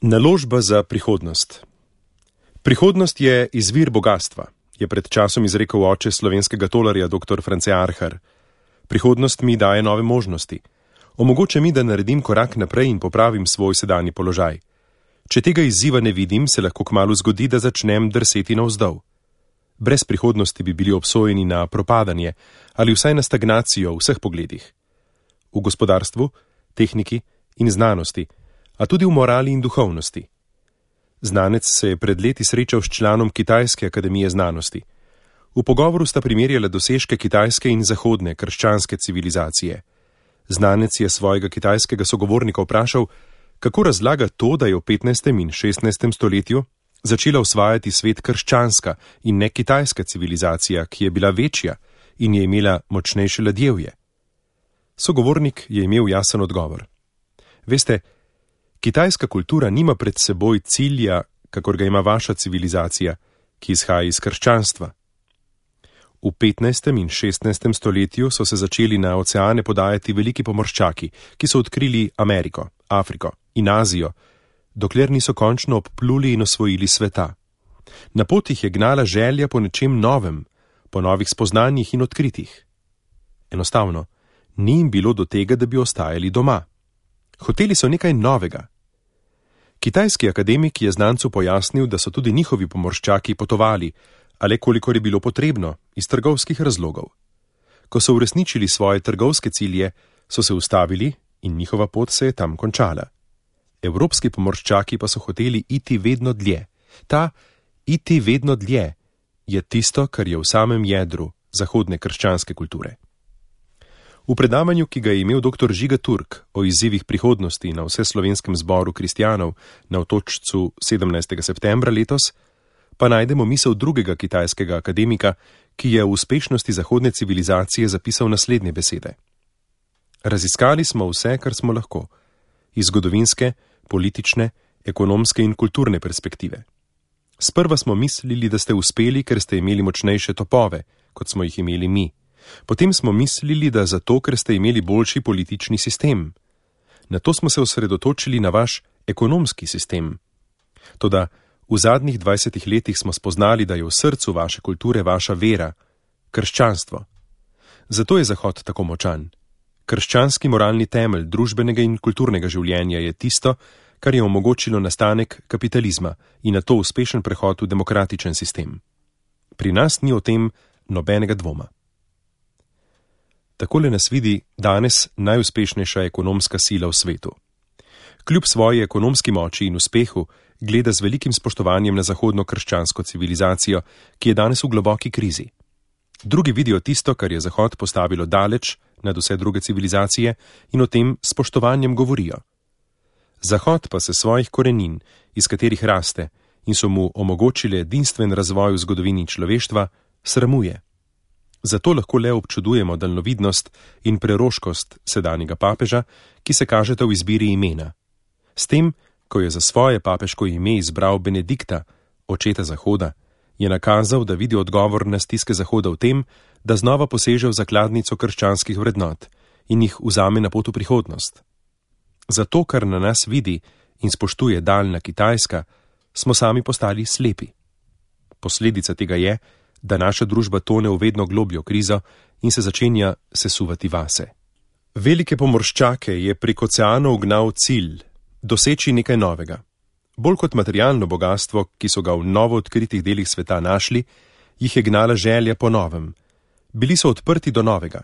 Naložba za prihodnost. Prihodnost je izvir bogastva, je pred časom izrekel oče slovenskega tolarja dr. France Arhar. Prihodnost mi daje nove možnosti. Omogoča mi, da naredim korak naprej in popravim svoj sedanji položaj. Če tega izziva ne vidim, se lahko kmalu zgodi, da začnem drseti navzdol. Brez prihodnosti bi bili obsojeni na propadanje ali vsaj na stagnacijo v vseh pogledih. V gospodarstvu, tehniki in znanosti, a tudi v morali in duhovnosti. Znanec se je pred leti srečal s članom Kitajske akademije znanosti. V pogovoru sta primerjala dosežke kitajske in zahodne krščanske civilizacije. Znanec je svojega kitajskega sogovornika vprašal, kako razlaga to, da je v 15. in 16. stoletju začela osvajati svet krščanska in ne kitajska civilizacija, ki je bila večja in je imela močnejše ladjevje. Sogovornik je imel jasen odgovor. Veste, kitajska kultura nima pred seboj cilja, kakor ga ima vaša civilizacija, ki izhaja iz krščanstva. V 15. in 16. stoletju so se začeli na oceane podajati veliki pomorščaki, ki so odkrili Ameriko, Afriko in Azijo, dokler niso končno obpluli in osvojili sveta. Na potih je gnala želja po nečem novem, po novih spoznanjih in odkritjih. Enostavno, ni jim bilo do tega, da bi ostajali doma. Hoteli so nekaj novega. Kitajski akademik je znancu pojasnil, da so tudi njihovi pomorščaki potovali, ale kolikor je bilo potrebno, iz trgovskih razlogov. Ko so uresničili svoje trgovske cilje, so se ustavili in njihova pot se je tam končala. Evropski pomorščaki pa so hoteli iti vedno dlje. Ta iti vedno dlje je tisto, kar je v samem jedru zahodne krščanske kulture. V predavanju, ki ga je imel dr. Žiga Turk o izzivih prihodnosti na Vseslovenskem zboru kristjanov na Otočcu 17. septembra letos, pa najdemo misel drugega kitajskega akademika, ki je v uspešnosti zahodne civilizacije zapisal naslednje besede. Raziskali smo vse, kar smo lahko, iz zgodovinske, politične, ekonomske in kulturne perspektive. Sprva smo mislili, da ste uspeli, ker ste imeli močnejše topove, kot smo jih imeli mi. Potem smo mislili, da zato, ker ste imeli boljši politični sistem. Nato smo se osredotočili na vaš ekonomski sistem. Toda v zadnjih 20 letih smo spoznali, da je v srcu vaše kulture vaša vera, krščanstvo. Zato je Zahod tako močan. Krščanski moralni temelj družbenega in kulturnega življenja je tisto, kar je omogočilo nastanek kapitalizma in nato uspešen prehod v demokratičen sistem. Pri nas ni o tem nobenega dvoma. Takole nas vidi danes najuspešnejša ekonomska sila v svetu. Kljub svoji ekonomski moči in uspehu gleda z velikim spoštovanjem na zahodno krščansko civilizacijo, ki je danes v globoki krizi. Drugi vidijo tisto, kar je Zahod postavilo daleč nad vse druge civilizacije in o tem spoštovanjem govorijo. Zahod pa se svojih korenin, iz katerih raste in so mu omogočile edinstven razvoj v zgodovini človeštva, sramuje. Zato lahko le občudujemo daljnovidnost in preroškost sedanjega papeža, ki se kažeta v izbiri imena. S tem, ko je za svoje papeško ime izbral Benedikta, očeta Zahoda, je nakazal, da vidi odgovor na stiske Zahoda v tem, da znova poseže v zakladnico krščanskih vrednot in jih vzame na pot v prihodnost. Zato, kar na nas vidi in spoštuje daljna Kitajska, smo sami postali slepi. Posledica tega je, da naša družba tone v vedno globljo krizo in se začenja sesuvati vase. Velike pomorščake je prek oceanov gnal cilj, doseči nekaj novega. Bolj kot materialno bogastvo, ki so ga v novo odkritih delih sveta našli, jih je gnala želja po novem. Bili so odprti do novega.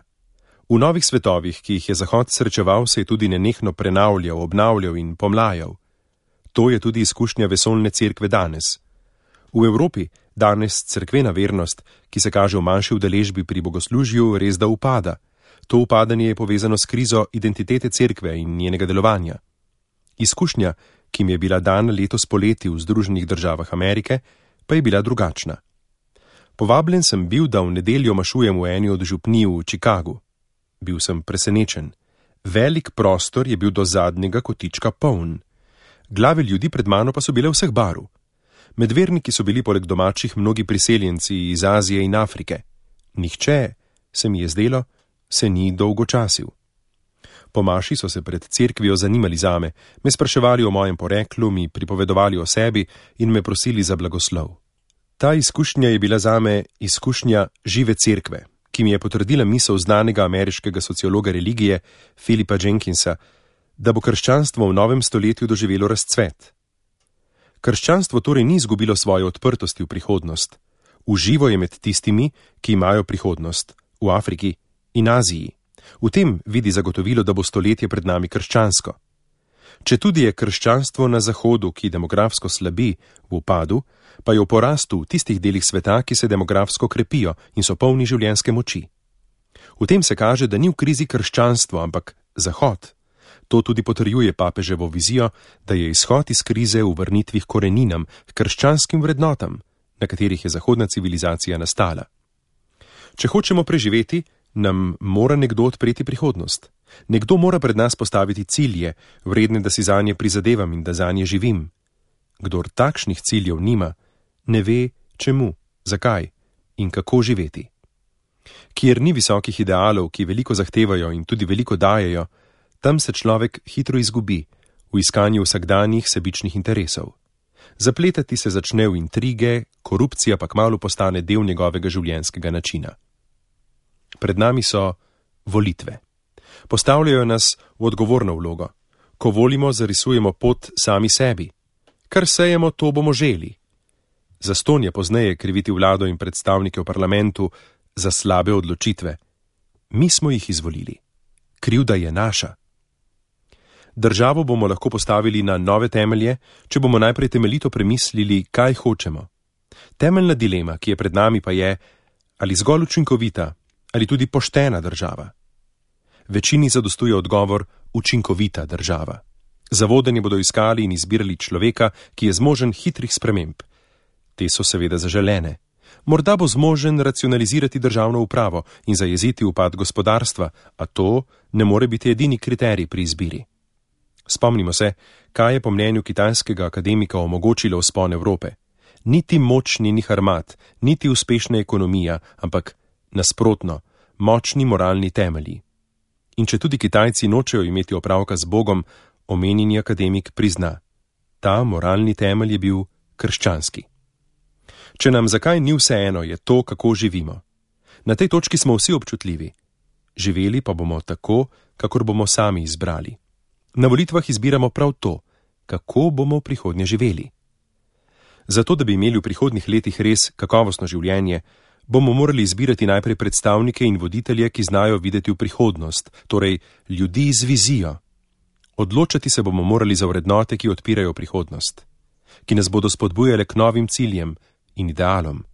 V novih svetovih, ki jih je Zahod srečeval, se je tudi nenehno prenavljal, obnavljal in pomlajal. To je tudi izkušnja vesoljne cerkve danes. V Evropi danes cerkvena vernost, ki se kaže v manjši udeležbi pri bogoslužju, res da upada. To upadanje je povezano s krizo identitete cerkve in njenega delovanja. Izkušnja, ki mi je bila dana letos poleti v Združenih državah Amerike, pa je bila drugačna. Povabljen sem bil, da v nedeljo mašujem v eni od župnij v Chicagu. Bil sem presenečen. Velik prostor je bil do zadnjega kotička poln. Glave ljudi pred mano pa so bile vseh barv. Med verniki so bili poleg domačih mnogi priseljenci iz Azije in Afrike. Nihče, se mi je zdelo, se ni dolgočasil. Po maši so se pred cerkvijo zanimali zame, me spraševali o mojem poreklu, mi pripovedovali o sebi in me prosili za blagoslov. Ta izkušnja je bila zame izkušnja žive cerkve, ki mi je potrdila misel znanega ameriškega sociologa religije Philipa Jenkinsa, da bo krščanstvo v novem stoletju doživelo razcvet. Krščanstvo torej ni izgubilo svoje odprtosti v prihodnost. Uživo je med tistimi, ki imajo prihodnost, v Afriki in Aziji. V tem vidi zagotovilo, da bo stoletje pred nami krščansko. Četudi je krščanstvo na Zahodu, ki demografsko slabi, v upadu, pa je v porastu v tistih delih sveta, ki se demografsko krepijo in so polni življenjske moči. V tem se kaže, da ni v krizi krščanstvo, ampak Zahod. To tudi potrjuje papeževo vizijo, da je izhod iz krize v vrnitvi k koreninam, k krščanskim vrednotam, na katerih je zahodna civilizacija nastala. Če hočemo preživeti, nam mora nekdo odpreti prihodnost. Nekdo mora pred nas postaviti cilje, vredne, da si zanje prizadevam in da zanje živim. Kdor takšnih ciljev nima, ne ve, čemu, zakaj in kako živeti. Kjer ni visokih idealov, ki veliko zahtevajo in tudi veliko dajejo, tam se človek hitro izgubi v iskanju vsakdanjih sebičnih interesov. Zapletati se začne v intrige, korupcija pa kmalu postane del njegovega življenjskega načina. Pred nami so volitve. Postavljajo nas v odgovorno vlogo. Ko volimo, zarisujemo pot sami sebi. Kar sejemo, to bomo želi. Zastonj je pozneje kriviti vlado in predstavnike v parlamentu za slabe odločitve. Mi smo jih izvolili. Krivda je naša. Državo bomo lahko postavili na nove temelje, če bomo najprej temeljito premislili, kaj hočemo. Temeljna dilema, ki je pred nami, pa je, ali zgolj učinkovita, ali tudi poštena država. Večini zadostuje odgovor učinkovita država. Za vodenje bodo iskali in izbirali človeka, ki je zmožen hitrih sprememb. Te so seveda zaželene. Morda bo zmožen racionalizirati državno upravo in zajeziti upad gospodarstva, a to ne more biti edini kriterij pri izbiri. Spomnimo se, kaj je po mnenju kitajskega akademika omogočilo vzpon Evrope. Niti moč njenih armad, niti uspešna ekonomija, ampak nasprotno, močni moralni temelji. In če tudi Kitajci nočejo imeti opravka z Bogom, omenjeni akademik prizna. Ta moralni temelj je bil krščanski. Če nam zakaj ni vseeno, je to, kako živimo. Na tej točki smo vsi občutljivi. Živeli pa bomo tako, kakor bomo sami izbrali. Na volitvah izbiramo prav to, kako bomo v prihodnje živeli. Zato, da bi imeli v prihodnjih letih res kakovostno življenje, bomo morali izbirati najprej predstavnike in voditelje, ki znajo videti v prihodnost, torej ljudi z vizijo. Odločati se bomo morali za vrednote, ki odpirajo prihodnost, ki nas bodo spodbujale k novim ciljem in idealom.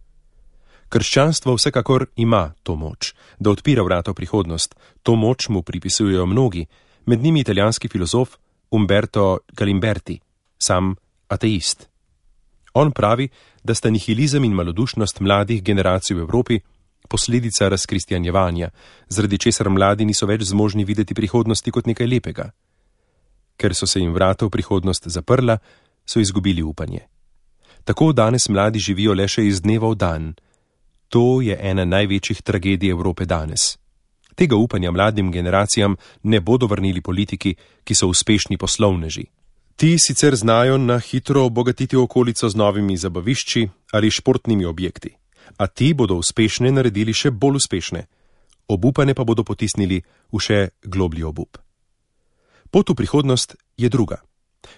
Krščanstvo vsekakor ima to moč, da odpira vrata v prihodnost. To moč mu pripisujejo mnogi, med njimi italijanski filozof Umberto Galimberti, sam ateist. On pravi, da sta nihilizem in malodušnost mladih generacij v Evropi posledica razkristjanjevanja, zaradi česar mladi niso več zmožni videti prihodnosti kot nekaj lepega. Ker so se jim vrata v prihodnost zaprla, so izgubili upanje. Tako danes mladi živijo le še iz dneva v dan. To je ena največjih tragedij Evrope danes. Tega upanja mladim generacijam ne bodo vrnili politiki, ki so uspešni poslovneži. Ti sicer znajo na hitro obogatiti okolico z novimi zabavišči ali športnimi objekti, a ti bodo uspešne naredili še bolj uspešne. Obupane pa bodo potisnili v še globlji obup. Pot v prihodnost je druga.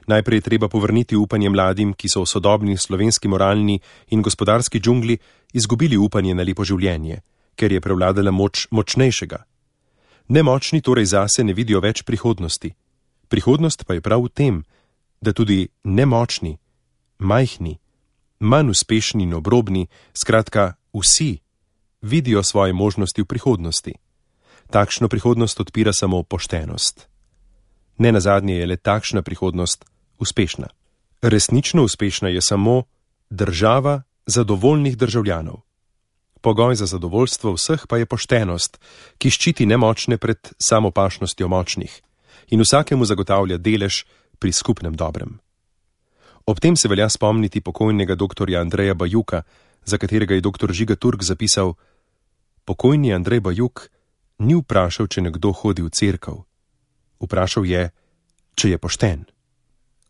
Najprej je treba povrniti upanje mladim, ki so v sodobni slovenski moralni in gospodarski džungli izgubili upanje na lepo življenje, ker je prevladala moč močnejšega. Nemočni torej zase ne vidijo več prihodnosti. Prihodnost pa je prav v tem, da tudi nemočni, majhni, manj uspešni in obrobni, skratka vsi, vidijo svoje možnosti v prihodnosti. Takšno prihodnost odpira samo poštenost. Nenazadnje je le takšna prihodnost uspešna. Resnično uspešna je samo država zadovoljnih državljanov. Pogoj za zadovoljstvo vseh pa je poštenost, ki ščiti nemočne pred samopašnostjo močnih in vsakemu zagotavlja delež pri skupnem dobrem. Ob tem se velja spomniti pokojnega doktorja Andreja Bajuka, za katerega je doktor Žiga Turk zapisal: pokojni Andrej Bajuk ni vprašal, če nekdo hodi v cerkev. Vprašal je, če je pošten.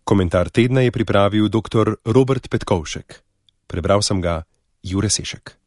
Komentar tedna je pripravil dr. Robert Petkovšek. Prebral sem ga Jure Sešek.